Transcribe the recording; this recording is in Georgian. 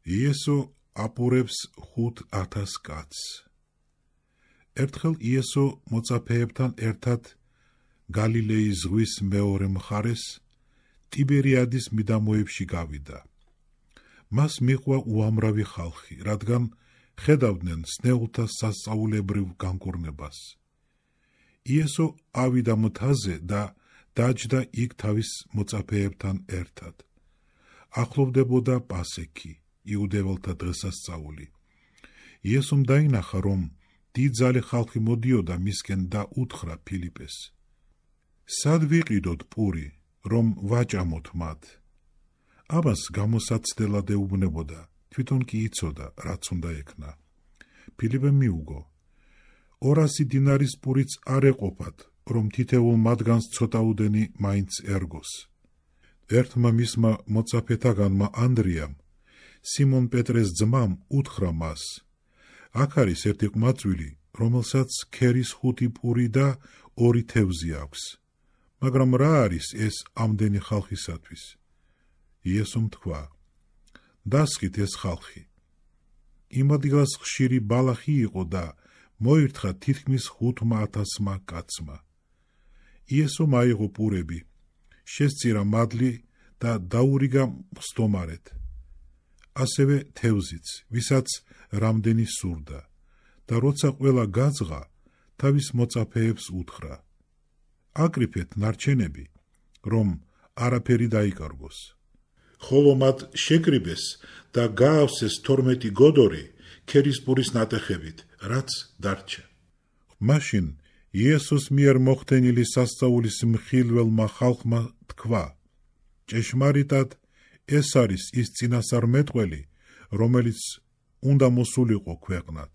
იესო აპურებს 5,000 კაცს. ერთხელ იესო მოწაფეებთან ერთად გალილეის ზღვის მეორე მხარეს, ტიბერიადის მიდამოებში გავიდა. მას მიჰყვა უამრავი ხალხი, რადგან ხედავდნენ სნეულთა სასწაულებრივ განკურნებას. იესო ავიდა მთაზე და დაჯდა იქ თავის მოწაფეებთან ერთად. ახლოვდებოდა პასექი, იუდეველთა დღესასწაული. იესომ დაინახა, რომ დიდძალი ხალხი მოდიოდა მისკენ და უთხრა ფილიპეს: სად ვიყიდოთ პური, რომ ვაჭამოთ მათ? ამას გამოსაცდელად ეუბნებოდა, თვითონ კი იცოდა, რაც უნდა ექნა. ფილიპემ მიუგო: 200 დინარის პურიც არ ეყოფათ, რომ თითოეულ მათგანს ცოტაუდენი მაინც ერგოს. ერთმა მისმა მოწაფეთაგანმა ანდრიამ, სიმონ პეტრეს ძმამ, უთხრა მას: აქ არის ერთი ყმაწვილი, რომელსაც ქერის 5 პური და 2 თევზი აქვს. მაგრამ რა არის ეს ამდენი ხალხისათვის? იესომ თქვა: დასხით ეს ხალხი. იმ ადგილას ხშირი ბალახი იყო და მოირთხა თითქმის 5,000 კაცმა. იესომ აიღო პურები, შესწირა მადლი და დაურიგა მსდომარედ. ასევე თევზიც, ვისაც რამდენი სურდა, და როცა ყველა გაძღა, თავის მოწაფეებს უთხრა: აკრიფეთ ნარჩენები, რომ არაფერი დაიკარგოს. ხოლო მათ შეკრიბეს და გაავსეს 12 გოდორი ქერის პურის ნატეხებით, რაც დარჩა. მაშინ იესოს მიერ მოხდენილი სასწაულის მხილველმა ხალხმა თქვა: ჭეშმარიტად, ეს არის ის წინასწარმეტყველი, რომელიც უნდა მოსულიყო ქვეყნად.